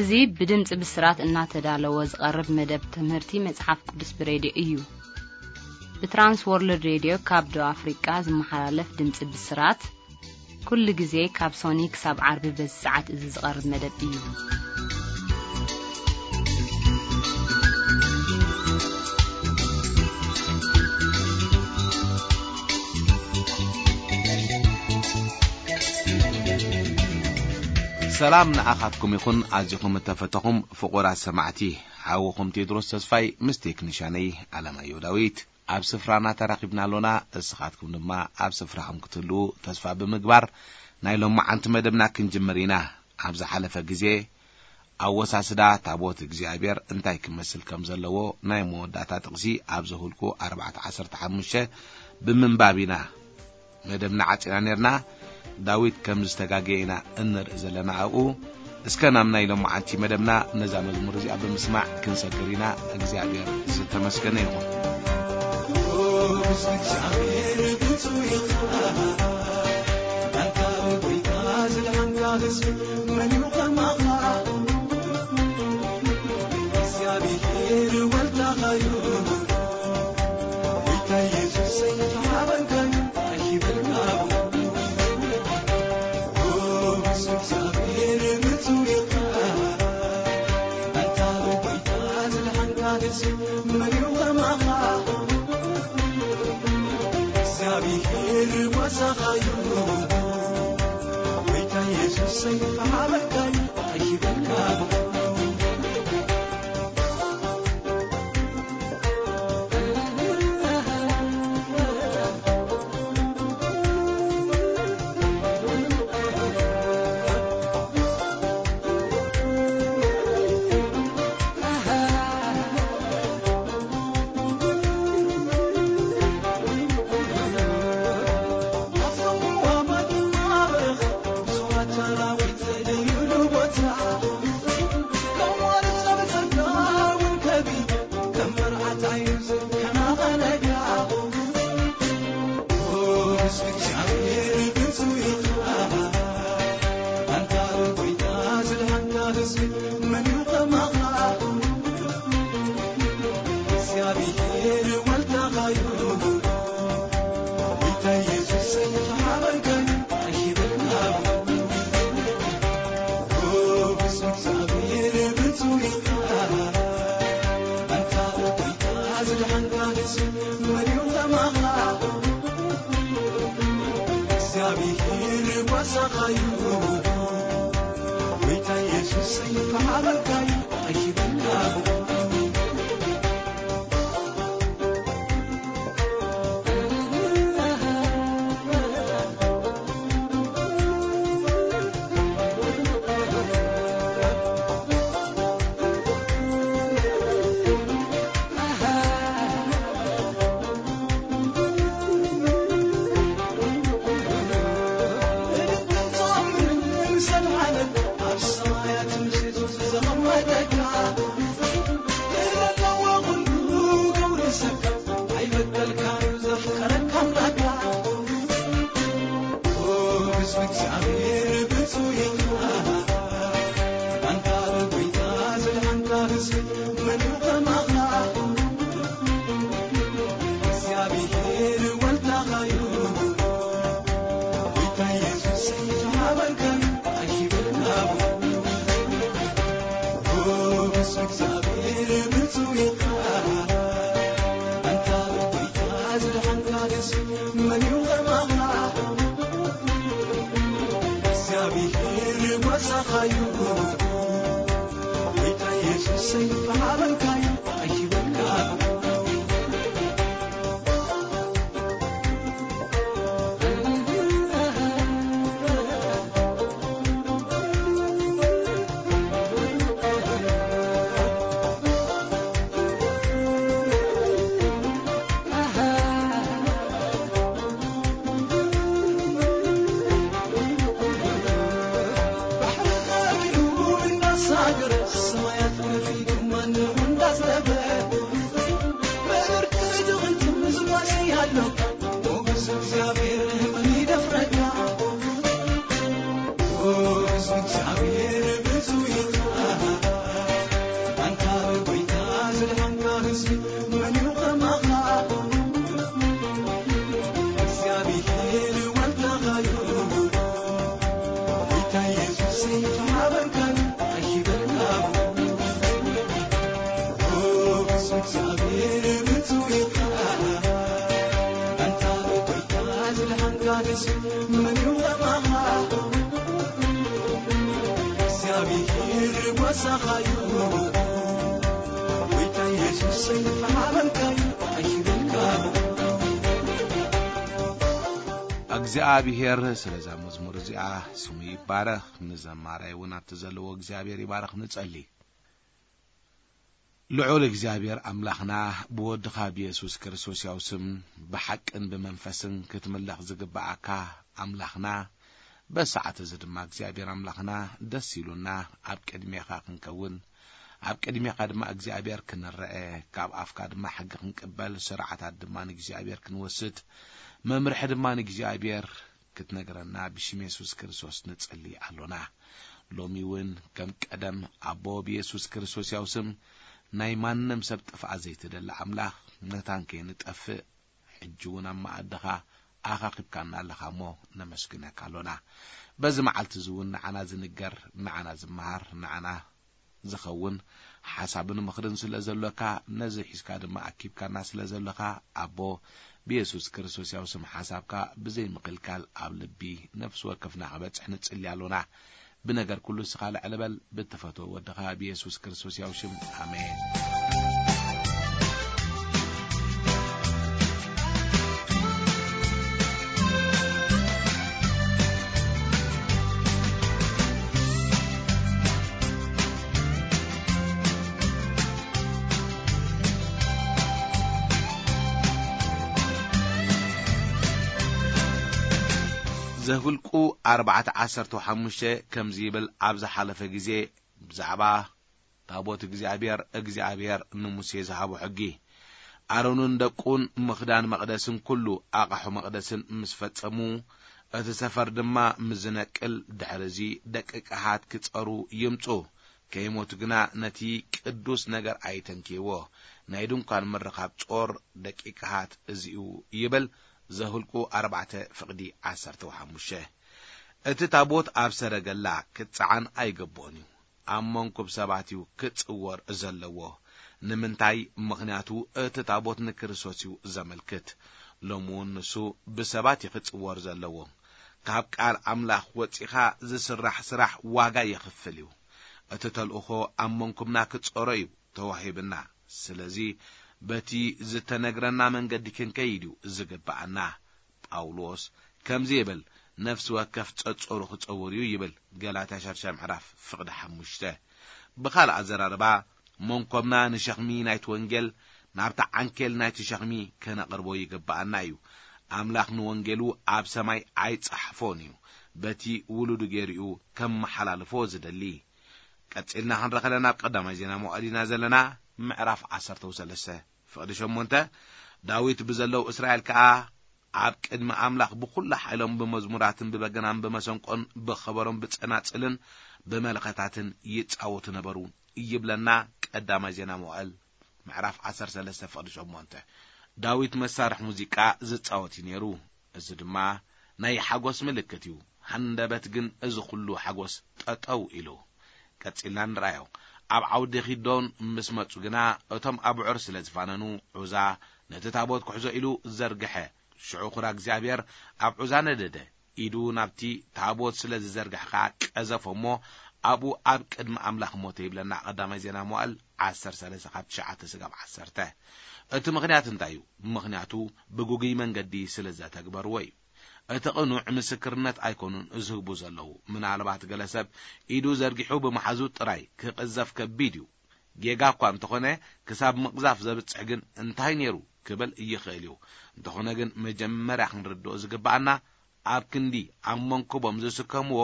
እዚ ብድምጺ ብስራት እናተዳለወ ዝቐርብ መደብ ትምህርቲ መጽሓፍ ቅዱስ ብሬድዮ እዩ። ብትራንስ ወርልድ ሬድዮ ካብ ደቡብ ኣፍሪቃ ዝመሓላለፍ ድምጺ ብስራት፣ ኩሉ ግዜ ካብ ሶኒ ክሳብ ዓርቢ በዚ ሰዓት እዚ ዝቐርብ መደብ እዩ። ሰላም ንኣኻትኩም ይኹን፣ ኣዚኹም እተፈተኹም ፍቑራት ሰማዕቲ። ሓውኹም ቴድሮስ ተስፋይ ምስ ቴክኒሻነይ ኣለማየሁ ዳዊት ኣብ ስፍራና ተራኺብና ኣሎና። እስኻትኩም ድማ ኣብ ስፍራኹም ክትህልዉ ተስፋ ብምግባር፣ ናይ ሎማዓንቲ መደብና ክንጅምር ኢና። ኣብ ዝሓለፈ ግዜ፣ ኣወሳስዳ ታቦት እግዚኣብሔር እንታይ ክመስል ከም ዘለዎ ናይ መወዳእታ ጥቕሲ ኣብ ዘሁልቁ ኣርባዕተ ዓሰርተ ሓሙሽተ ብምንባብ ኢና መደብና ዓጺና ነርና። ዳዊት ከም ዝተጋገየ ኢና እንርኢ ዘለና ኣብኡ። እስከ ናብ ናይ ሎማዓንቲ መደብና ነዛ መዝሙር እዚኣ ብምስማዕ ክንሰግር ኢና። እግዚኣብሔር ዝተመስገነ ይኹን። እግዚኣብሔር ወልዳኻዩ፣ ጌታ ኢየሱሰይ ተሓበንካዩ፣ ኣይበልካቡ። ኦ፣ ብስም እግዚኣብሔር ብፁዕ ኢኻ። ኣንታ ጌታ ዝደሓንካ ንሱ መን እዩ ከማኻ? እግዚኣብሔር ጓሳኻዩ፣ ጌታ ኢየሱሰይ ተሓበንካዩ፣ ኣይበልካቡ። እግዚኣብሔር ወልዳኻዩ፣ ጌታ ኢየሱስ ተሓበንካዩ፣ ኣይበልካቡ። ኦ፣ ብስም እግዚኣብሔር ብፁዕ ኢኻ። ኣንታ ጌታ ዝደሓንካ ንሱ መን እዩ ከማኻ? እግዚኣብሔር ጓሳኻዩ፣ ጌታ ኢየሱስ ተሓበንካዩ፣ ኣይበልካቡ። እግዚኣብሔር ወልዳኻዩ፣ ጌታ ኢየሱስ ተሓበንካዩ፣ ኣይበልካቡ። ኦ፣ ብስም እግዚኣብሔር ብፁዕ ኢኻ። ኣንታ ጌታ ዝደሓንካ ንሱ መን እዩ ከማኻ? እግዚኣብሔር ጓሳኻዩ፣ ጌታ ኢየሱስ ተሓበንካዩ፣ ኣይበልካቡ። እግዚኣብሔር ብርቱ ኢኻ፣ ኣንታ ጎይታ ዝደሓንካ ንሱ መን እዩ ከማኻ? እግዚኣብሔር ጓሳኻ እዩ፣ ጎይታ ኢየሱሰይ ሓበንካ እዩ ኣይብልካ። እግዚኣብሔር ስለዛ መዝሙር እዚኣ ስሙ ይባረኽ። ንዘማራይ እውን ኣብቲ ዘለዎ እግዚኣብሔር ይባረኽ። ንጸሊ። ልዑል እግዚኣብሔር ኣምላኽና፣ ብወድኻ ብየሱስ ክርስቶስ ያው ስም ብሓቅን ብመንፈስን ክትምለኽ ዝግብኣካ ኣምላኽና፣ በሰዓት እዚ ድማ እግዚኣብሔር ኣምላኽና ደስ ኢሉና ኣብ ቅድሜኻ ክንከውን፣ ኣብ ቅድሜኻ ድማ እግዚኣብሔር ክንረአ፣ ካብ ኣፍካ ድማ ሕጊ ክንቅበል፣ ስርዓታት ድማ ንእግዚኣብሔር ክንወስድ፣ መምርሒ ድማ ንእግዚኣብሔር ክትነግረና ብሽም የሱስ ክርስቶስ ንጽሊ ኣሎና። ሎሚ እውን ከም ቀደም ኣቦ ብየሱስ ክርስቶስ ያው ስም ናይ ማንም ሰብ ጥፍኣት ዘይትደሊ ኣምላኽ፣ መታን ከይንጠፍእ ሕጂ እውን ኣብ መኣድኻ ኣኻኺብካና ኣለኻ እሞ ነመስግነካ ኣሎና። በዚ መዓልቲ እዚ እውን ንዓና ዝንገር፣ ንዓና ዝመሃር፣ ንዓና ዝኸውን ሓሳብን ምኽርን ስለ ዘሎካ፣ ነዚ ሒዝካ ድማ ኣኪብካና ስለ ዘሎኻ፣ ኣቦ ብየሱስ ክርስቶስ ያው ስም ሓሳብካ ብዘይ ምክልካል ኣብ ልቢ ነፍሲ ወከፍና ክበጽሕ ንጽሊ ኣሎና። ብነገር ኩሉ እስኻ ልዕል በል፣ ብትፈትዎ ወድኻ ብየሱስ ክርስቶስ ያው ሽም፣ ኣሜን። ዘኍልቁ ኣርባዕተ ዓሰርተ ሓሙሽተ ከምዚ ይብል፣ ኣብ ዝሓለፈ ግዜ ብዛዕባ ታቦት እግዚኣብሔር፣ እግዚኣብሔር ንሙሴ ዝሃቦ ሕጊ። ኣሮንን ደቁን ምኽዳን መቕደስን ኩሉ ኣቓሑ መቕደስን ምስ ፈጸሙ፣ እቲ ሰፈር ድማ ምስ ዝነቅል፣ ድሕሪ እዚ ደቂ ቀሃት ክጸሩ ይምጹ፣ ከይሞቱ ግና ነቲ ቅዱስ ነገር ኣይተንክይዎ። ናይ ድንኳን ምርኻብ ጾር ደቂ ቀሃት እዚ እዩ ይብል። ዘኍልቁ ኣርባዕተ ፍቕዲ ዓሰርተ ሓሙሽተ። እቲ ታቦት ኣብ ሰረገላ ክጸዓን ኣይግብኦን እዩ። ኣብ መንኩብ ሰባት እዩ ክጽወር ዘለዎ። ንምንታይ? ምኽንያቱ እቲ ታቦት ንክርስቶስ እዩ ዘመልክት። ሎሚ እውን ንሱ ብሰባት እዩ ክጽወር ዘለዎ። ካብ ቃል ኣምላኽ ወጺኻ ዝስራሕ ስራሕ ዋጋ የኽፍል እዩ። እቲ ተልእኾ ኣብ መንኩብና ክጾሮ እዩ ተዋሂብና። ስለዚ በቲ ዝተነግረና መንገዲ ክንከይድ እዩ ዝግብኣና። ጳውሎስ ከምዚ ይብል፣ "ነፍሲ ወከፍ ጸጸሩ ክጸውር እዩ" ይብል። ገላትያ ሻድሻይ ምዕራፍ ፍቕዲ ሓሙሽተ። ብኻልእ ኣዘራርባ፣ መንኮብና ንሸኽሚ ናይቲ ወንጌል ናብቲ ዓንኬል ናይቲ ሸኽሚ ከነቕርቦ ይግብኣና እዩ። ኣምላኽ ንወንጌሉ ኣብ ሰማይ ኣይጸሓፎን እዩ፣ በቲ ውሉዱ ገይሩ እዩ ከመሓላልፎ ዝደሊ። ቀጺልና ክንረኸለ ናብ ቀዳማይ ዜና መዋዕል ኢና ዘለና፣ ምዕራፍ ዓሰርተ ሰለስተ ፍቕዲ ሸሞንተ። ዳዊት ብዘለዉ እስራኤል ከኣ ኣብ ቅድሚ ኣምላኽ ብኹሉ ሓይሎም ብመዝሙራትን ብበገናን ብመሰንቆን ብኸበሮን ብጸናጽልን ብመለኸታትን ይጻወቱ ነበሩ ይብለና ቀዳማይ ዜና መዋዕል ምዕራፍ ዓሰርተ ሰለስተ ፍቕዲ ሸሞንተ። ዳዊት መሳርሒ ሙዚቃ ዝጻወት እዩ ነይሩ። እዚ ድማ ናይ ሓጎስ ምልክት እዩ። ሃንደበት ግን እዚ ኩሉ ሓጎስ ጠጠው ኢሉ። ቀጺልና ንርኣዮ። ኣብ ዓውዲ ኪዶን ምስ መጹ ግና እቶም ኣብዑር ስለ ዝፋነኑ ዑዛ ነቲ ታቦት ክሕዞ ኢሉ ዘርግሐ። ሽዑ ኹራ እግዚኣብሔር ኣብ ዑዛ ነደደ። ኢዱ ናብቲ ታቦት ስለ ዝዘርግሐ ኸኣ ቀዘፎ እሞ ኣብኡ ኣብ ቅድሚ ኣምላኽ ሞተ ይብለና ቀዳማይ ዜና መዋዕል ዓሰርተ ሰለስተ ካብ ትሽዓተ ስጋብ ዓሰርተ። እቲ ምኽንያት እንታይ እዩ? ምኽንያቱ ብግጉይ መንገዲ ስለ ዘተግበርዎ እዩ። እቲ ቅኑዕ ምስክርነት ኣይኮኑን ዝህቡ ዘለዉ። ምናልባት ገለ ሰብ ኢዱ ዘርጊሑ ብምሓዙ ጥራይ ክቕዘፍ ከቢድ እዩ። ጌጋ እኳ እንተኾነ፣ ክሳብ ምቕዛፍ ዘብጽሕ ግን እንታይ ነይሩ ክብል ይኽእል እዩ። እንተኾነ ግን መጀመርያ ክንርድኦ ዝግብኣና፣ ኣብ ክንዲ ኣብ መንኩቦም ዝስከምዎ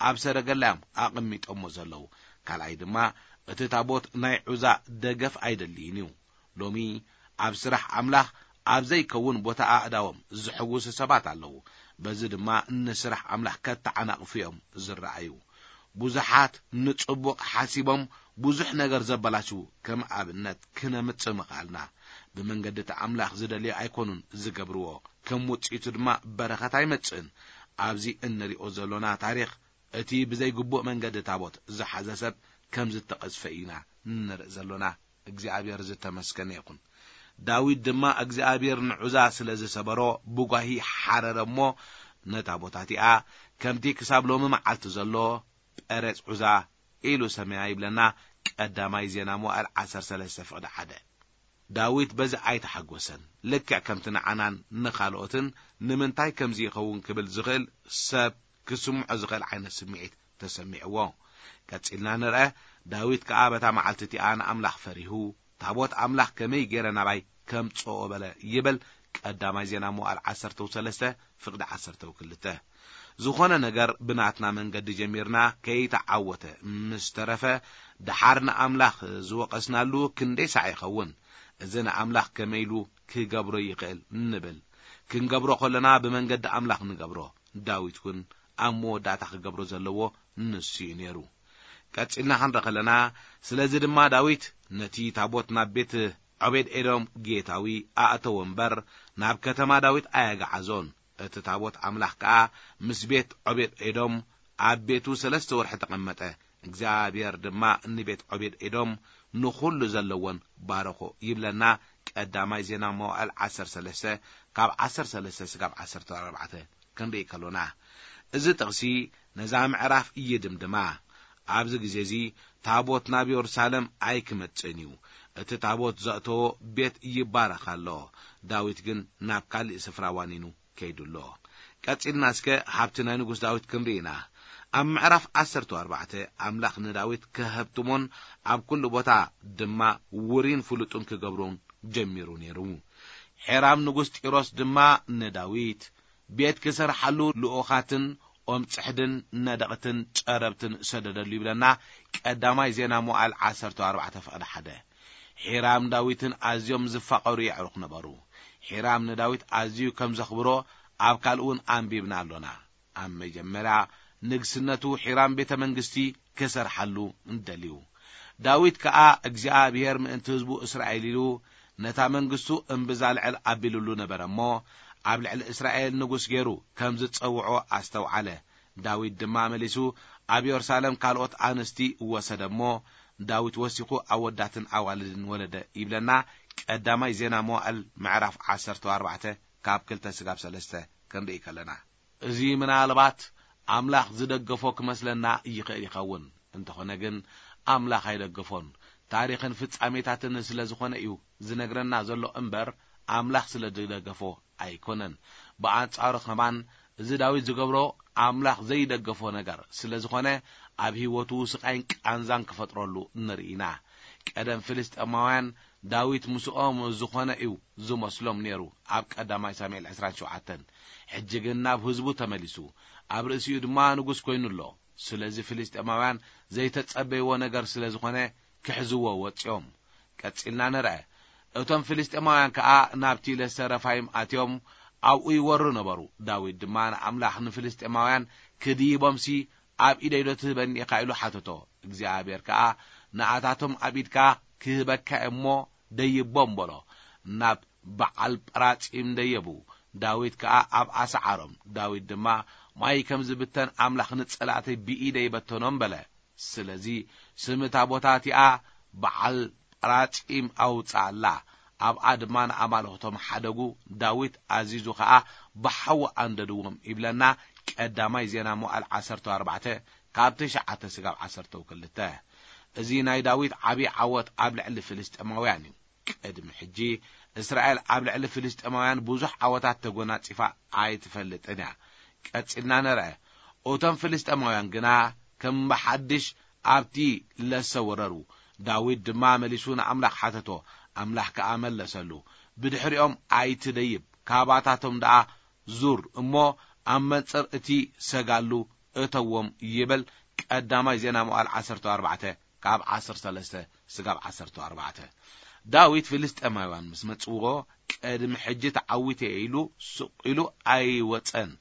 ኣብ ሰረገላ እዮም ኣቐሚጦሞ ዘለዉ። ካልኣይ ድማ እቲ ታቦት ናይ ዑዛ ደገፍ ኣይደልይን እዩ። ሎሚ ኣብ ስራሕ ኣምላኽ ኣብ ዘይከውን ቦታ ኣእዳዎም ዝሕውሱ ሰባት ኣለዉ። በዚ ድማ ንስራሕ ኣምላኽ ከተዓናቕፉ እዮም ዝረኣዩ። ብዙሓት ንጽቡቕ ሓሲቦም ብዙሕ ነገር ዘበላሽዉ ከም ኣብነት ክነምጽእ ምኽኣልና። ብመንገዲ እቲ ኣምላኽ ዝደልዮ ኣይኮኑን ዝገብርዎ፣ ከም ውጽኢቱ ድማ በረኸት ኣይመጽእን። ኣብዚ እንሪኦ ዘሎና ታሪኽ እቲ ብዘይግቡእ መንገዲ ታቦት ዝሓዘ ሰብ ከም ዝተቐዝፈ ኢና ንርኢ ዘሎና። እግዚኣብሔር ዝተመስገነ ይኹን። ዳዊት ድማ እግዚኣብሔር ንዑዛ ስለ ዝሰበሮ ብጓሂ ሓረረ እሞ፣ ነታ ቦታ እቲኣ ከምቲ ክሳብ ሎሚ መዓልቲ ዘሎ ጴሬጽ ዑዛ ኢሉ ሰመያ ይብለና። ቀዳማይ ዜና መዋዕል ዓሰርተ ሰለስተ ፍቕዲ ሓደ። ዳዊት በዚ ኣይተሓጎሰን። ልክዕ ከምቲ ንዓናን ንኻልኦትን ንምንታይ ከምዚ ይኸውን ክብል ዝኽእል ሰብ ክስምዖ ዝኽእል ዓይነት ስምዒት ተሰሚዕዎ። ቀጺልና ንርአ። ዳዊት ከኣ በታ መዓልቲ እቲኣ ንኣምላኽ ፈሪሁ፣ ታቦት ኣምላኽ ከመይ ገይረ ናባይ ከምጽኦ በለ ይብል። ቀዳማይ ዜና መዋዕል ዓሰርተ ሰለስተ ፍቕዲ ዓሰርተ ክልተ። ዝኾነ ነገር ብናትና መንገዲ ጀሚርና ከይተዓወተ ምስ ተረፈ፣ ደሓር ንኣምላኽ ዝወቐስናሉ ክንደይ ሳዕ ይኸውን? እዚ ንኣምላኽ ከመይ ኢሉ ክገብሮ ይኽእል ንብል። ክንገብሮ ከለና ብመንገዲ ኣምላኽ ንገብሮ። ዳዊት እውን ኣብ መወዳእታ ክገብሮ ዘለዎ ንሱ እዩ ነይሩ። ቀጺልና ክንርኢ ከለና፣ ስለዚ ድማ ዳዊት ነቲ ታቦት ናብ ቤት ዖቤድ ኤዶም ጌታዊ ኣእተዎ እምበር፣ ናብ ከተማ ዳዊት ኣየገዓዞን። እቲ ታቦት ኣምላኽ ከኣ ምስ ቤት ዖቤድ ኤዶም ኣብ ቤቱ ሰለስተ ወርሒ ተቐመጠ። እግዚኣብሔር ድማ ንቤት ዖቤድ ኤዶም ንኹሉ ዘለዎን ባረኾ ይብለና። ቀዳማይ ዜና መዋዕል ዓሰርተ ሰለስተ ካብ ዓሰርተ ሰለስተ ስጋብ ዓሰርተ ኣርባዕተ ክንርኢ ከሎና፣ እዚ ጥቕሲ ነዛ ምዕራፍ ይድምድማ። ኣብዚ ግዜ እዚ ታቦት ናብ የሩሳሌም ኣይክመጽእን እዩ። እቲ ታቦት ዘእተዎ ቤት ይባረኽ ኣሎ። ዳዊት ግን ናብ ካልእ ስፍራ ዋኒኑ ከይዱ ኣሎ። ቀጺልና እስከ ሃብቲ ናይ ንጉስ ዳዊት ክንርኢ ኢና። ኣብ ምዕራፍ ዓሰርተ ኣርባዕተ ኣምላኽ ንዳዊት ከሀብትሞን ኣብ ኩሉ ቦታ ድማ ውሪን ፍሉጡን ክገብሮን ጀሚሩ ነይሩ። ሒራም ንጉስ ጢሮስ ድማ ንዳዊት ቤት ክሰርሓሉ ልኡኻትን ኦም ጽሕድን ነደቕትን ጨረብትን ሰደደሉ ይብለና። ቀዳማይ ዜና መዋዕል ዓሰርተ ኣርባዕተ ፍቕዲ ሓደ። ሒራም ዳዊትን ኣዝዮም ዝፋቐሩ የዕሩኽ ነበሩ። ሒራም ንዳዊት ኣዝዩ ከም ዘኽብሮ ኣብ ካልእ እውን ኣንቢብና ኣሎና። ኣብ መጀመርያ ንግስነቱ ሒራም ቤተ መንግስቲ ክሰርሓሉ እንደልዩ። ዳዊት ከኣ እግዚኣብሔር ምእንቲ ህዝቡ እስራኤል ኢሉ ነታ መንግስቱ እምብዛ ልዕል ኣቢሉሉ ነበረ እሞ፣ ኣብ ልዕሊ እስራኤል ንጉስ ገይሩ ከም ዝጸውዖ ኣስተውዓለ። ዳዊት ድማ መሊሱ ኣብ የሩሳሌም ካልኦት ኣንስቲ ወሰደ እሞ፣ ዳዊት ወሲኹ ኣወዳትን ኣዋልድን ወለደ ይብለና። ቀዳማይ ዜና መዋዕል ምዕራፍ ዓሰርተ ኣርባዕተ ካብ ክልተ ስጋብ ሰለስተ ክንርኢ ከለና፣ እዚ ምናልባት ኣምላኽ ዝደገፎ ክመስለና ይኽእል ይኸውን። እንተኾነ ግን ኣምላኽ ኣይደገፎን። ታሪኽን ፍጻሜታትን ስለ ዝኾነ እዩ ዝነግረና ዘሎ እምበር፣ ኣምላኽ ስለ ዝደገፎ ኣይኮነን። ብኣንጻሩ ከማን፣ እዚ ዳዊት ዝገብሮ ኣምላኽ ዘይደገፎ ነገር ስለ ዝኾነ፣ ኣብ ህይወቱ ስቓይን ቃንዛን ክፈጥረሉ ንርኢ ኢና። ቀደም ፍልስጤማውያን ዳዊት ምስኦም ዝኾነ እዩ ዝመስሎም ነይሩ፣ ኣብ ቀዳማይ ሳሙኤል ዕስራን ሸውዓተን። ሕጂ ግን ናብ ህዝቡ ተመሊሱ፣ ኣብ ርእሲኡ ድማ ንጉስ ኮይኑ ኣሎ። ስለዚ ፍልስጤማውያን ዘይተጸበይዎ ነገር ስለ ዝኾነ ክሕዝዎ ወጺኦም። ቀጺልና ንርአ። እቶም ፍልስጤማውያን ከኣ ናብቲ ለሰ ረፋይም ኣትዮም ኣብኡ ይወሩ ነበሩ። ዳዊት ድማ ንኣምላኽ ንፍልስጤማውያን ክድይቦምሲ ኣብ ኢደይ ዶ ትህበኒ ኢኻ ኢሉ ሓተቶ። እግዚኣብሔር ከኣ ንኣታቶም ኣብ ኢድካ ክህበካ እሞ ደይቦም በሎ። ናብ በዓል ጳራጺም ደየቡ። ዳዊት ከኣ ኣብኣ ሰዓሮም። ዳዊት ድማ ማይ ከም ዝብተን ኣምላኽ ንጸላእተይ ብኢደይ ይበተኖም በለ። ስለዚ ስም እታ ቦታ እቲኣ በዓል ጳራጺም ኣውጽኣላ። ኣብኣ ድማ ንኣማልኽቶም ሓደጉ። ዳዊት ኣዚዙ ኸኣ ብሓዊ ኣንደድዎም ይብለና። ቀዳማይ ዜና መዋዕል ዓሰርተ ኣርባዕተ ካብ ትሽዓተ ስጋብ ዓሰርተ ክልተ። እዚ ናይ ዳዊት ዓቢ ዓወት ኣብ ልዕሊ ፍልስጤማውያን እዩ። ቅድሚ ሕጂ እስራኤል ኣብ ልዕሊ ፍልስጤማውያን ብዙሕ ዓወታት ተጎናጺፋ ኣይትፈልጥን እያ። ቀጺልና ንርአ። እቶም ፍልስጤማውያን ግና ከም ብሓድሽ ኣብቲ ለሰ ወረሩ። ዳዊት ድማ መሊሱ ንኣምላኽ ሓተቶ፣ ኣምላኽ ከኣ መለሰሉ። ብድሕሪኦም ኣይትደይብ፣ ካባታቶም ደኣ ዙር እሞ ኣብ መንጽር እቲ ሰጋሉ እተዎም ይብል። ቀዳማይ ዜና መዋዕል ዓሰርተ ኣርባዕተ ካብ ዓሰርተ ሰለስተ ስጋብ ዓሰርተ ኣርባዕተ። ዳዊት ፍልስጤማውያን ምስ መጽዎ፣ ቅድሚ ሕጂ ተዓዊተ ኢሉ ስቕ ኢሉ ኣይወጸን።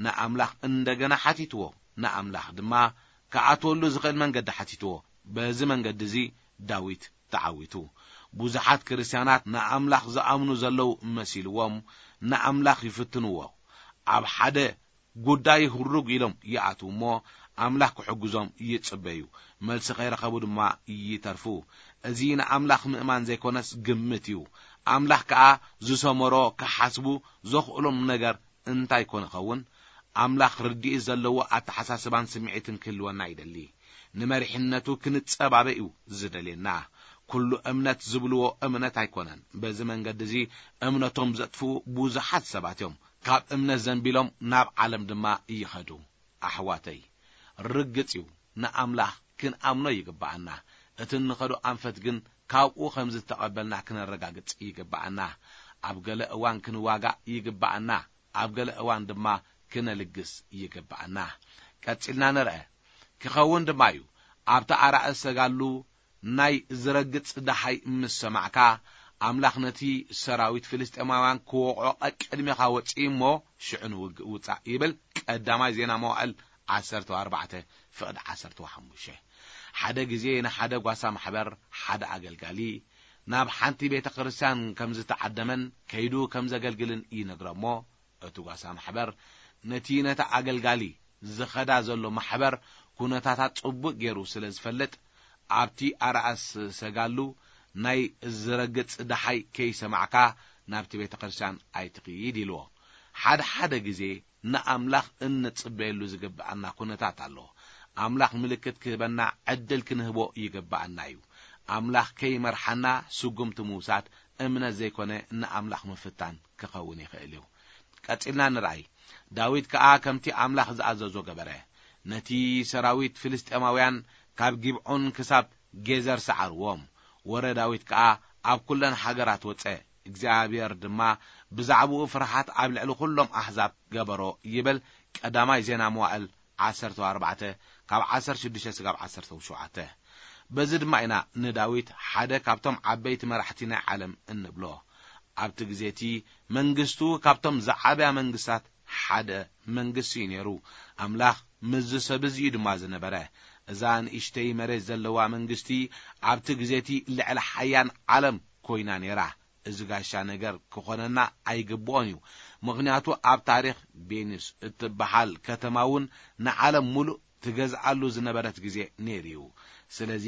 ንኣምላኽ እንደገና ሓቲትዎ። ንኣምላኽ ድማ ክኣትወሉ ዝኽእል መንገዲ ሓቲትዎ። በዚ መንገዲ እዚ ዳዊት ተዓዊቱ። ብዙሓት ክርስትያናት ንኣምላኽ ዝኣምኑ ዘለዉ መሲልዎም ንኣምላኽ ይፍትንዎ። ኣብ ሓደ ጉዳይ ህሩግ ኢሎም ይኣትዉ እሞ፣ ኣምላኽ ክሕግዞም ይጽበዩ። መልሲ ከይረኸቡ ድማ ይተርፉ። እዚ ንኣምላኽ ምእማን ዘይኮነስ ግምት እዩ። ኣምላኽ ከኣ ዝሰመሮ ክሓስቡ ዘኽእሎም ነገር እንታይ ኮን ይኸውን? ኣምላኽ ርድኢት ዘለዎ ኣተሓሳስባን ስምዒትን ክህልወና ይደሊ። ንመሪሕነቱ ክንጸባበ እዩ ዝደልየና። ኩሉ እምነት ዝብልዎ እምነት ኣይኮነን። በዚ መንገዲ እዚ እምነቶም ዘጥፍኡ ብዙሓት ሰባት እዮም። ካብ እምነት ዘንቢሎም ናብ ዓለም ድማ ይኸዱ። ኣሕዋተይ፣ ርግጽ እዩ፣ ንኣምላኽ ክንኣምኖ ይግብኣና። እቲ እንኸዶ ኣንፈት ግን ካብኡ ከም ዝተቐበልና ክነረጋግጽ ይግብኣና። ኣብ ገለ እዋን ክንዋጋእ ይግብኣና፣ ኣብ ገለ እዋን ድማ ክነልግስ ይግብኣና። ቀጺልና ንርአ። ክኸውን ድማ እዩ። ኣብቲ ኣራእስ ሰጋሉ ናይ ዝረግጽ ደሓይ ምስ ሰማዕካ፣ ኣምላኽ ነቲ ሰራዊት ፍልስጤማውያን ክወቕዖ ቀቅድሜኻ ወጽእ እሞ፣ ሽዑ ንውግእ ውጻእ ይብል። ቀዳማይ ዜና መዋዕል ዓሰርተ ኣርባዕተ ፍቕዲ ዓሰርተ ሓሙሽተ። ሓደ ግዜ ንሓደ ጓሳ ማሕበር ሓደ ኣገልጋሊ ናብ ሓንቲ ቤተ ክርስቲያን ከም ዝተዓደመን ከይዱ ከም ዘገልግልን ይነግሮ እሞ፣ እቲ ጓሳ ማሕበር ነቲ ነቲ ኣገልጋሊ ዝኸዳ ዘሎ ማሕበር ኩነታታት ጽቡቕ ገይሩ ስለ ዝፈልጥ፣ ኣብቲ ኣርኣስ ሰጋሉ ናይ ዝረግጽ ደሓይ ከይሰማዕካ ናብቲ ቤተ ክርስቲያን ኣይትኽይድ ኢልዎ። ሓደ ሓደ ግዜ ንኣምላኽ እንጽበየሉ ዝግብኣና ኩነታት ኣሎ። ኣምላኽ ምልክት ክህበና ዕድል ክንህቦ ይግብኣና እዩ። ኣምላኽ ከይመርሓና ስጉምቲ ምውሳድ እምነት ዘይኮነ ንኣምላኽ ምፍታን ክኸውን ይኽእል እዩ። ቀጺልና ንርኣይ። ዳዊት ከኣ ከምቲ ኣምላኽ ዝኣዘዞ ገበረ። ነቲ ሰራዊት ፍልስጤማውያን ካብ ጊብዖን ክሳብ ጌዘር ሰዓርዎም። ወረ ዳዊት ከኣ ኣብ ኩለን ሃገራት ወጸ። እግዚኣብሔር ድማ ብዛዕባኡ ፍርሃት ኣብ ልዕሊ ኩሎም ኣሕዛብ ገበሮ ይብል። ቀዳማይ ዜና መዋዕል ዓሰርተ ኣርባዕተ ካብ ዓሰርተ ሽዱሽተ ስጋብ ዓሰርተ ሸውዓተ። በዚ ድማ ኢና ንዳዊት ሓደ ካብቶም ዓበይቲ መራሕቲ ናይ ዓለም እንብሎ። ኣብቲ ግዜ እቲ መንግስቱ ካብቶም ዝዓበያ መንግስታት ሓደ መንግስቲ እዩ ነይሩ። ኣምላኽ ምስዚ ሰብ እዚ እዩ ድማ ዝነበረ። እዛ ንእሽተይ መሬት ዘለዋ መንግስቲ ኣብቲ ግዜ እቲ ልዕሊ ሓያን ዓለም ኮይና ነይራ። እዚ ጋሻ ነገር ክኾነና ኣይግብኦን እዩ። ምኽንያቱ ኣብ ታሪኽ ቬኒስ እትበሃል ከተማ እውን ንዓለም ሙሉእ ትገዝኣሉ ዝነበረት ግዜ ነይሩ እዩ። ስለዚ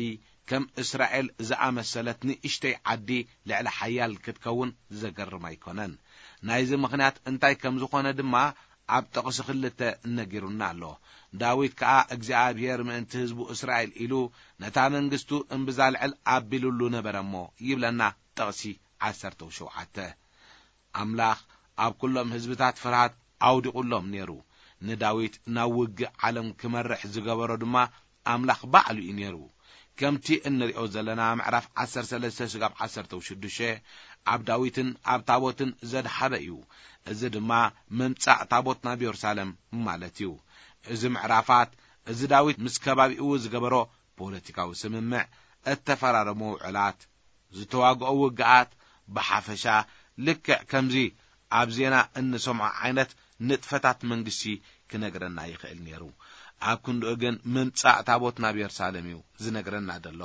ከም እስራኤል ዝኣመሰለት ንእሽተይ ዓዲ ልዕሊ ሓያል ክትከውን ዘገርም ኣይኮነን። ናይዚ ምኽንያት እንታይ ከም ዝኾነ ድማ ኣብ ጥቕሲ ክልተ ነጊሩና ኣሎ። ዳዊት ከኣ እግዚኣብሔር ምእንቲ ህዝቡ እስራኤል ኢሉ ነታ መንግስቱ እምብዛ ልዕል ኣቢሉሉ ነበረ እሞ ይብለና ጥቕሲ ዓሰርተ ሸውዓተ። ኣምላኽ ኣብ ኩሎም ህዝብታት ፍርሃት ኣውዲቑሎም ነይሩ። ንዳዊት ናብ ውግእ ዓለም ክመርሕ ዝገበሮ ድማ ኣምላኽ ባዕሉ እዩ ነይሩ። ከምቲ እንሪኦ ዘለና ምዕራፍ ዓሰርተ ሰለስተ ስጋብ ዓሰርተ ሽዱሽተ ኣብ ዳዊትን ኣብ ታቦትን ዘድሃበ እዩ። እዚ ድማ ምምጻእ ታቦት ናብ የሩሳሌም ማለት እዩ። እዚ ምዕራፋት እዚ ዳዊት ምስ ከባቢኡ ዝገበሮ ፖለቲካዊ ስምምዕ፣ እተፈራረሞ ውዕላት፣ ዝተዋግኦ ውግኣት ብሓፈሻ ልክዕ ከምዚ ኣብ ዜና እንሰምዖ ዓይነት ንጥፈታት መንግስቲ ክነግረና ይኽእል ነይሩ። ኣብ ክንድኡ ግን ምምጻእ ታቦት ናብ የሩሳሌም እዩ ዝነግረና ዘሎ።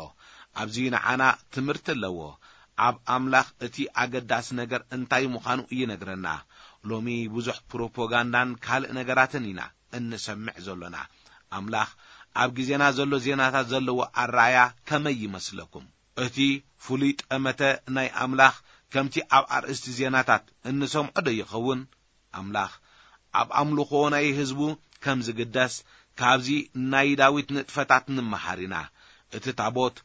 ኣብዚ ንዓና ትምህርቲ ኣለዎ። ኣብ ኣምላኽ እቲ ኣገዳሲ ነገር እንታይ ምዃኑ ይነግረና። ሎሚ ብዙሕ ፕሮፓጋንዳን ካልእ ነገራትን ኢና እንሰምዕ ዘሎና። ኣምላኽ ኣብ ግዜና ዘሎ ዜናታት ዘለዎ ኣረኣያ ከመይ ይመስለኩም? እቲ ፍሉይ ጠመተ ናይ ኣምላኽ ከምቲ ኣብ ኣርእስቲ ዜናታት እንሰምዖ ዶ ይኸውን? ኣምላኽ ኣብ ኣምልኾ ናይ ህዝቡ ከም ዝግደስ ካብዚ ናይ ዳዊት ንጥፈታት ንምሃር ኢና። እቲ ታቦት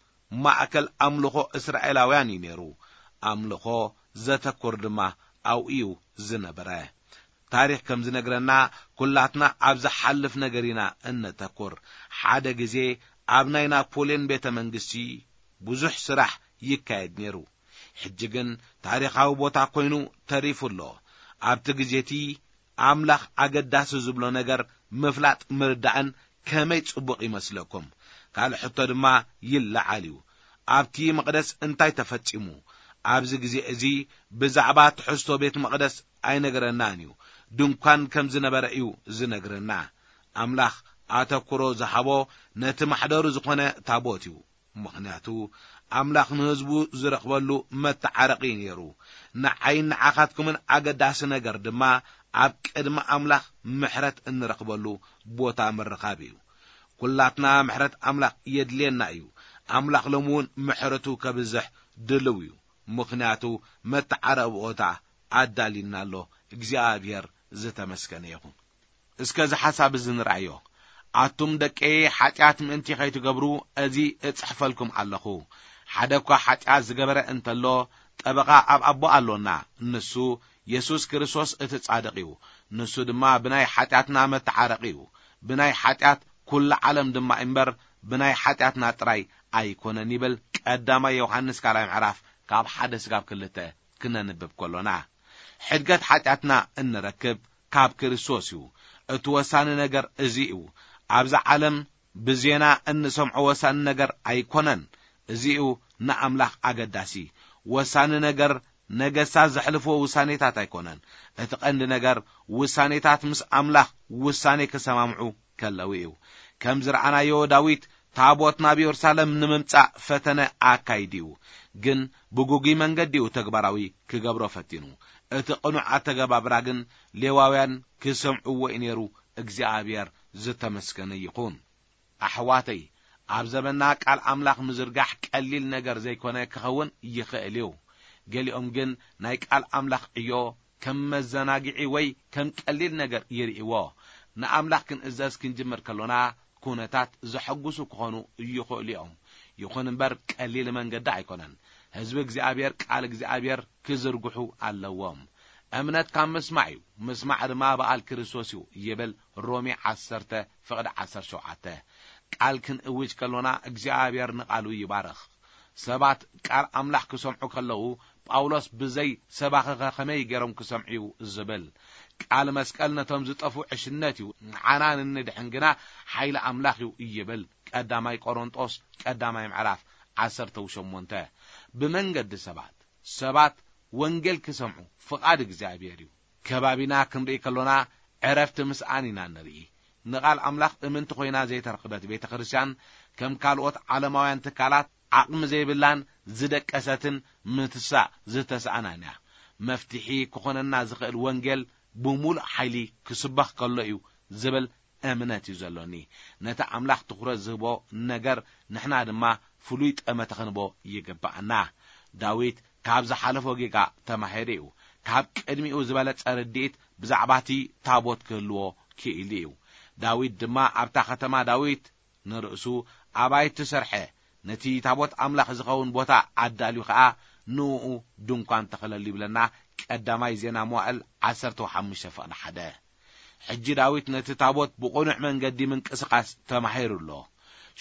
ማእከል ኣምልኾ እስራኤላውያን እዩ ነይሩ። ኣምልኾ ዘተኩር ድማ ኣብኡ እዩ ዝነበረ። ታሪኽ ከም ዝነግረና፣ ኩላትና ኣብ ዝሓልፍ ነገር ኢና እነተኩር። ሓደ ግዜ ኣብ ናይ ናፖልዮን ቤተ መንግስቲ ብዙሕ ስራሕ ይካየድ ነይሩ። ሕጂ ግን ታሪኻዊ ቦታ ኮይኑ ተሪፉ ኣሎ። ኣብቲ ግዜ እቲ ኣምላኽ ኣገዳሲ ዝብሎ ነገር ምፍላጥ ምርዳእን ከመይ ጽቡቕ ይመስለኩም? ካልእ ሕቶ ድማ ይለዓል እዩ። ኣብቲ መቕደስ እንታይ ተፈጺሙ? ኣብዚ ግዜ እዚ ብዛዕባ ትሕዝቶ ቤት መቕደስ ኣይነግረናን እዩ። ድንኳን ከም ዝነበረ እዩ ዝነግረና። ኣምላኽ ኣተኩሮ ዝሃቦ ነቲ ማሕደሩ ዝኾነ ታቦት እዩ። ምኽንያቱ ኣምላኽ ንህዝቡ ዝረኽበሉ መተዓረቒ እዩ ነይሩ። ንዓይን ንዓኻትኩምን ኣገዳሲ ነገር ድማ ኣብ ቅድሚ ኣምላኽ ምሕረት እንረኽበሉ ቦታ ምርኻብ እዩ። ኩላትና ምሕረት ኣምላኽ የድልየና እዩ። ኣምላኽ ሎሚ እውን ምሕረቱ ከብዝሕ ድልው እዩ። ምኽንያቱ መተዓረቢ ቦታ ኣዳልዩና ኣሎ። እግዚኣብሔር ዝተመስገነ ይኹን። እስከ እዚ ሓሳብ እዚ ንርኣዮ። ኣቱም ደቀይ፣ ሓጢኣት ምእንቲ ኸይትገብሩ እዚ እጽሕፈልኩም ኣለኹ። ሓደ እኳ ሓጢኣት ዝገበረ እንተሎ፣ ጠበቓ ኣብ ኣቦ ኣሎና፣ ንሱ የሱስ ክርስቶስ እቲ ጻድቕ እዩ። ንሱ ድማ ብናይ ሓጢኣትና መተዓረቒ እዩ። ብናይ ሓጢኣት ኩሉ ዓለም ድማ እምበር፣ ብናይ ሓጢኣትና ጥራይ ኣይኮነን ይብል ቀዳማይ ዮሃንስ ካልኣይ ምዕራፍ ካብ ሓደ ስጋብ ክልተ ክነንብብ ከሎና። ሕድገት ሓጢኣትና እንረክብ ካብ ክርስቶስ እዩ። እቲ ወሳኒ ነገር እዚ እዩ። ኣብዛ ዓለም ብዜና እንሰምዖ ወሳኒ ነገር ኣይኮነን። እዚ እዩ ንኣምላኽ ኣገዳሲ። ወሳኒ ነገር ነገስታት ዘሕልፍዎ ውሳኔታት ኣይኮነን። እቲ ቀንዲ ነገር ውሳኔታት ምስ ኣምላኽ ውሳኔ ክሰማምዑ ከለዉ እዩ። ከም ዝረኣናዮ ዳዊት ታቦት ናብ የሩሳሌም ንምምጻእ ፈተነ ኣካይዱ እዩ። ግን ብጉጉይ መንገዲ እዩ ተግባራዊ ክገብሮ ፈቲኑ። እቲ ቅኑዕ ኣተገባብራ ግን ሌዋውያን ክሰምዕዎ እዩ ነይሩ። እግዚኣብሔር ዝተመስገነ ይኹን። ኣሕዋተይ፣ ኣብ ዘመንና ቃል ኣምላኽ ምዝርጋሕ ቀሊል ነገር ዘይኮነ ክኸውን ይኽእል እዩ። ገሊኦም ግን ናይ ቃል ኣምላኽ ዕዮ ከም መዘናግዒ ወይ ከም ቀሊል ነገር ይርእይዎ። ንኣምላኽ ክንእዘዝ ክንጅምር ከሎና፣ ኩነታት ዘሐጉሱ ክኾኑ ይኽእሉ እዮም። ይኹን እምበር ቀሊል መንገዲ ኣይኮነን። ህዝቢ እግዚኣብሔር ቃል እግዚኣብሔር ክዝርግሑ ኣለዎም። እምነት ካብ ምስማዕ እዩ፣ ምስማዕ ድማ ብኣል ክርስቶስ እዩ ይብል ሮሜ ዓሰርተ ፍቕዲ ዓሰርተ ሸውዓተ። ቃል ክንእውጅ ከሎና እግዚኣብሔር ንቓሉ ይባርኽ። ሰባት ቃል ኣምላኽ ክሰምዑ ከለዉ፣ ጳውሎስ ብዘይ ሰባኺኸ ከመይ ገይሮም ክሰምዑ እዩ ዝብል። ቃል መስቀል ነቶም ዝጠፍኡ ዕሽነት እዩ፣ ንዓና ንንድሕን ግና ሓይሊ ኣምላኽ እዩ ይብል ቀዳማይ ቆሮንጦስ ቀዳማይ ምዕራፍ ዓሰርተ ሸሞንተ። ብመንገዲ ሰባት፣ ሰባት ወንጌል ክሰምዑ ፍቓድ እግዚኣብሔር እዩ። ከባቢና ክንርኢ ከሎና ዕረፍቲ ምስኣን ኢና ንርኢ። ንቓል ኣምላኽ እምንቲ ኮይና ዘይተረኽበት ቤተ ክርስቲያን ከም ካልኦት ዓለማውያን ትካላት ዓቕሚ ዘይብላን ዝደቀሰትን ምትሳእ ዝተሳእናን እያ። መፍትሒ ክኾነና ዝኽእል ወንጌል ብምሉእ ሓይሊ ክስበኽ ከሎ እዩ ዝብል እምነት እዩ ዘሎኒ። ነቲ ኣምላኽ ትኹረት ዝህቦ ነገር ንሕና ድማ ፍሉይ ጠመተ ክንቦ ይግብኣና። ዳዊት ካብ ዝሓለፎ ጌጋ ተማሂሩ እዩ። ካብ ቅድሚኡ ዝበለጸ ርድኢት ብዛዕባ እቲ ታቦት ክህልዎ ክኢሉ እዩ። ዳዊት ድማ ኣብታ ከተማ ዳዊት ንርእሱ ኣባይቲ ሰርሐ፣ ነቲ ታቦት ኣምላኽ ዝኸውን ቦታ ኣዳልዩ ኸኣ ንእኡ ድንኳን ተኸለሉ ይብለና ቀዳማይ ዜና መዋእል ዓሰርተ ሓሙሽተ ፍቕዲ ሓደ። ሕጂ ዳዊት ነቲ ታቦት ብቕኑዕ መንገዲ ምንቅስቓስ ተማሂሩ ኣሎ።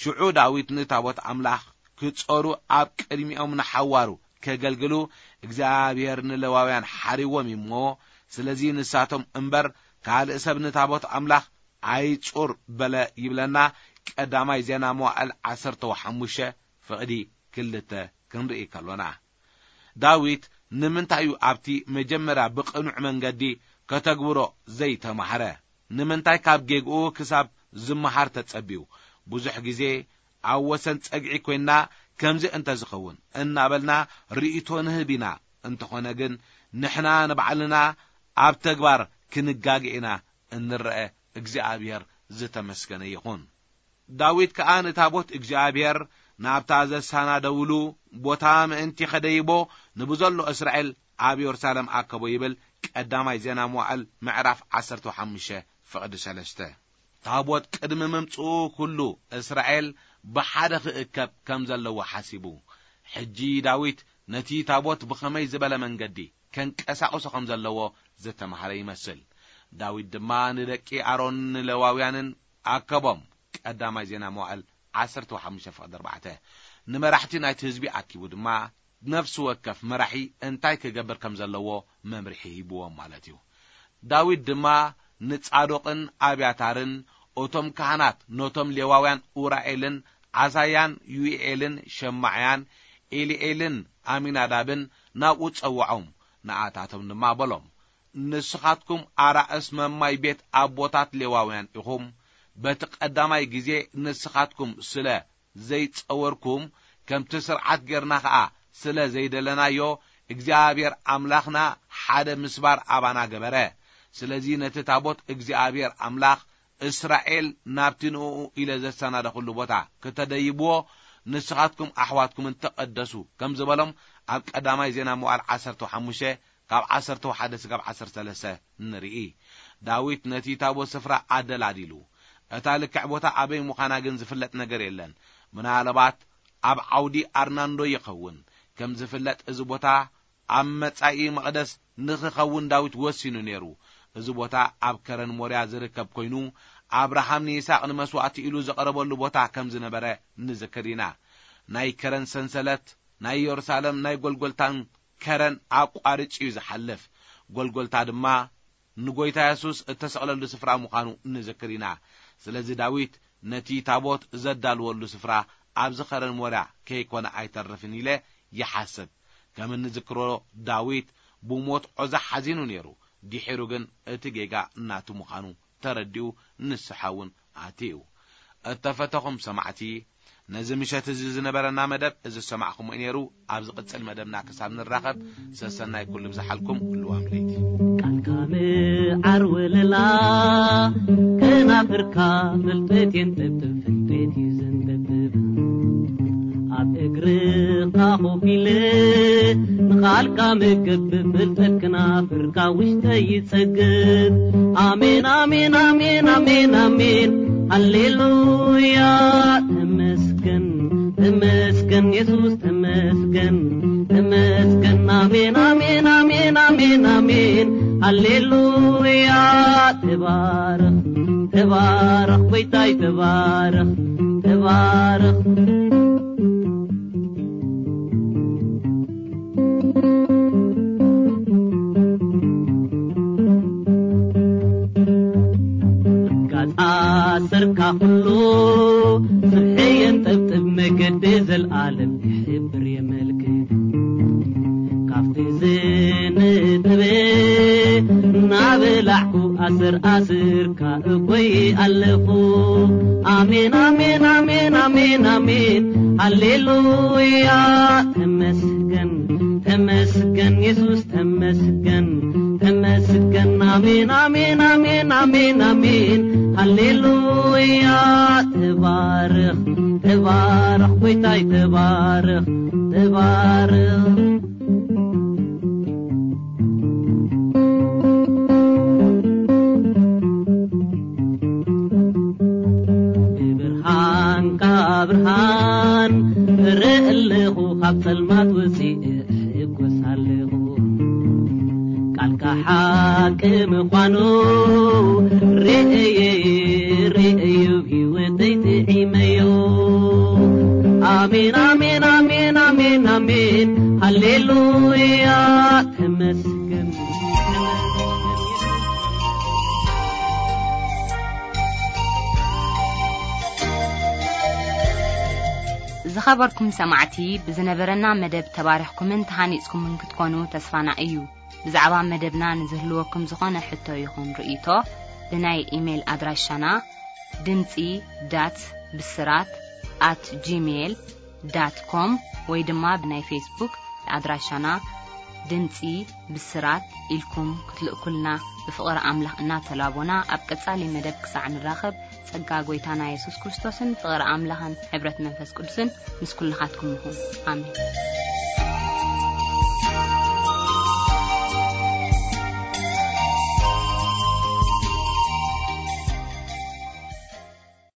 ሽዑ ዳዊት ንታቦት ኣምላኽ ክጸሩ ኣብ ቅድሚኦም ንሓዋሩ ከገልግሉ እግዚኣብሔር ንሌዋውያን ሓሪዎም እዩ እሞ፣ ስለዚ ንሳቶም እምበር ካልእ ሰብ ንታቦት ኣምላኽ ኣይጹር በለ ይብለና ቀዳማይ ዜና መዋእል ዓሰርተ ሓሙሽተ ፍቕዲ ክልተ ክንርኢ ከሎና። ዳዊት ንምንታይ እዩ ኣብቲ መጀመርያ ብቕኑዕ መንገዲ ከተግብሮ ዘይተማህረ? ንምንታይ ካብ ጌግኡ ክሳብ ዝመሃር ተጸብዩ? ብዙሕ ግዜ ኣብ ወሰን ጸግዒ ኮይንና ከምዚ እንተ ዝኸውን እናበልና ርእይቶ ንህብ ኢና። እንተኾነ ግን ንሕና ንባዕልና ኣብ ተግባር ክንጋገ ኢና እንረአ። እግዚኣብሔር ዝተመስገነ ይኹን። ዳዊት ከኣ ንታቦት እግዚኣብሔር ናብታ ዘሳናደውሉ ቦታ ምእንቲ ከደይቦ ንብዘሎ እስራኤል ኣብ የሩሳሌም ኣከቦ ይብል ቀዳማይ ዜና መዋዕል ምዕራፍ ዓሰርተ ሓሙሽተ ፍቕዲ ሰለስተ። ታቦት ቅድሚ ምምጽኡ ኩሉ እስራኤል ብሓደ ክእከብ ከም ዘለዎ ሓሲቡ። ሕጂ ዳዊት ነቲ ታቦት ብኸመይ ዝበለ መንገዲ ከንቀሳቕሶ ከም ዘለዎ ዝተማህረ ይመስል። ዳዊት ድማ ንደቂ ኣሮን ንሌዋውያንን ኣከቦም። ቀዳማይ ዜና መዋዕል ዓሰርተ ሓሙሽተ ፍቕዲ ኣርባዕተ። ንመራሕቲ ናይቲ ህዝቢ ኣኪቡ ድማ ነፍሲ ወከፍ መራሒ እንታይ ክገብር ከም ዘለዎ መምርሒ ሂብዎም ማለት እዩ። ዳዊት ድማ ንጻዶቅን ኣብያታርን፣ እቶም ካህናት ነቶም ሌዋውያን ኡራኤልን ዓሳያን ዩኤልን ሸማዕያን ኤሊኤልን ኣሚናዳብን ናብኡ ጸውዖም። ንኣታቶም ድማ በሎም፣ ንስኻትኩም ኣራእስ መማይ ቤት ኣቦታት ሌዋውያን ኢኹም። በቲ ቀዳማይ ግዜ ንስኻትኩም ስለ ዘይጸወርኩም፣ ከምቲ ስርዓት ጌርና ኸኣ ስለ ዘይደለናዮ፣ እግዚኣብሔር ኣምላኽና ሓደ ምስባር ኣባና ገበረ። ስለዚ ነቲ ታቦት እግዚኣብሔር ኣምላኽ እስራኤል ናብቲ ንእኡ ኢለ ዘሰናደኹሉ ቦታ ክተደይብዎ ንስኻትኩም ኣሕዋትኩምን ተቐደሱ ከም ዝበሎም ኣብ ቀዳማይ ዜና መዋዕል ዓሰርተ ሓሙሽተ ካብ ዓሰርተ ሓደ እስካብ ዓሰርተ ሰለስተ ንርኢ። ዳዊት ነቲ ታቦት ስፍራ ኣደላዲሉ። እታ ልክዕ ቦታ ኣበይ ምዃና ግን ዝፍለጥ ነገር የለን። ምናልባት ኣብ ዓውዲ ኣርናንዶ ይኸውን። ከም ዝፍለጥ እዚ ቦታ ኣብ መጻኢ መቕደስ ንኽኸውን ዳዊት ወሲኑ ነይሩ። እዚ ቦታ ኣብ ከረን ሞርያ ዝርከብ ኮይኑ፣ ኣብርሃም ንይስሐቅ ንመስዋእቲ ኢሉ ዘቕረበሉ ቦታ ከም ዝነበረ ንዝክር ኢና። ናይ ከረን ሰንሰለት ናይ የሩሳሌም ናይ ጎልጎልታን ከረን ኣቋርጭ እዩ ዝሓልፍ። ጎልጎልታ ድማ ንጎይታ የሱስ እተሰቕለሉ ስፍራ ምዃኑ ንዝክር ኢና። ስለዚ ዳዊት ነቲ ታቦት ዘዳልወሉ ስፍራ ኣብዚ ኸረን ሞርያ ከይኮነ ኣይተርፍን ኢለ ይሓስብ። ከም እንዝክሮ ዳዊት ብሞት ዖዛ ሓዚኑ ነይሩ። ድሒሩ ግን እቲ ጌጋ ናቱ ምዃኑ ተረዲኡ ንስሓ እውን ኣትዩ። እተፈተኹም ሰማዕቲ፣ ነዚ ምሸት እዚ ዝነበረና መደብ እዚ ዝሰማዕኹምዎ ነይሩ። ኣብ ዝቕጽል መደብና ክሳብ ንራኸብ ሰሰናይ ኩሉ ብዝሓልኩም። ልዋም ለይቲ። ቃልካ ምዓር ወለላ፣ ከናፍርካ ፍልጠት የንጠብጥብ፣ ፍልጠት እዩ ዘንጠብጥብ። ኣብ እግርኻ ኮፍ ኢለ ንቓልካ ምግብ፣ ፍልጠት ክናፍርካ ውሽጠይ ይጸግብ። ኣሜን፣ ኣሜን፣ ኣሜን፣ ኣሜን፣ ኣሜን፣ ሃሌሉያ። ተመስገን፣ ተመስገን የሱስ፣ ተመስገን፣ ተመስገን። ኣሜን፣ ኣሜን፣ ኣሜን፣ ኣሜን፣ ኣሜን፣ ሃሌሉያ። ተባረኽ፣ ተባረኽ ጎይታይ፣ ተባረኽ፣ ተባረኽ። ጋጻ ሰርካ ኩሉ ስርሐ የንጠብጥብ፣ መገዲ ዘልኣለም ይሕብር የመልክት። ካብቲ ዝንጥበ እናበላዕኩ ኣስር ኣስርካ እኮይ ኣለኹ። ኣሜን፣ ኣሜን፣ ኣሜን፣ ኣሜን፣ ኣሜን፣ ሃሌሉያ። ተመስገን፣ ተመስገን የሱስ፣ ተመስገን፣ ተመስገን። ኣሜን፣ ኣሜን፣ ኣሜን፣ ኣሜን፣ ኣሜን፣ ሃሌሉያ። ተባረኽ፣ ተባረኽ ጎይታይ፣ ተባረኽ፣ ተባረኽ። ብብርሃንካ ብርሃን እርኢ ኣለኹ፣ ካብ ጸልማት ወጺኤ እሕጎስ ኣለኹ። ቃልካ ሓቂ ምዃኑ ርእየ፣ ርእየ ህይወተይ ጥዒመዮ። ኣሜን፣ ኣሜን፣ ኣሜን፣ ኣሜን፣ ኣሜን፣ ሃሌሉያ። ተመስገን። ዝኸበርኩም ሰማዕቲ፣ ብዝነበረና መደብ ተባሪኽኩምን ተሃኒጽኩምን ክትኮኑ ተስፋና እዩ። ብዛዕባ መደብና ንዝህልወኩም ዝኾነ ሕቶ ይኹን ርእይቶ፣ ብናይ ኢሜይል ኣድራሻና ድምጺ ዳት ብስራት ኣት ጂሜይል ዳት ኮም ወይ ድማ ብናይ ፌስቡክ ኣድራሻና ድምጺ ብስራት ኢልኩም ክትልእኩልና ብፍቕሪ ኣምላኽ እናተላቦና፣ ኣብ ቀጻሊ መደብ ክሳዕ ንራኸብ፣ ጸጋ ጐይታና የሱስ ክርስቶስን ፍቕሪ ኣምላኽን ሕብረት መንፈስ ቅዱስን ምስ ኩልኻትኩም ይኹን። ኣሜን።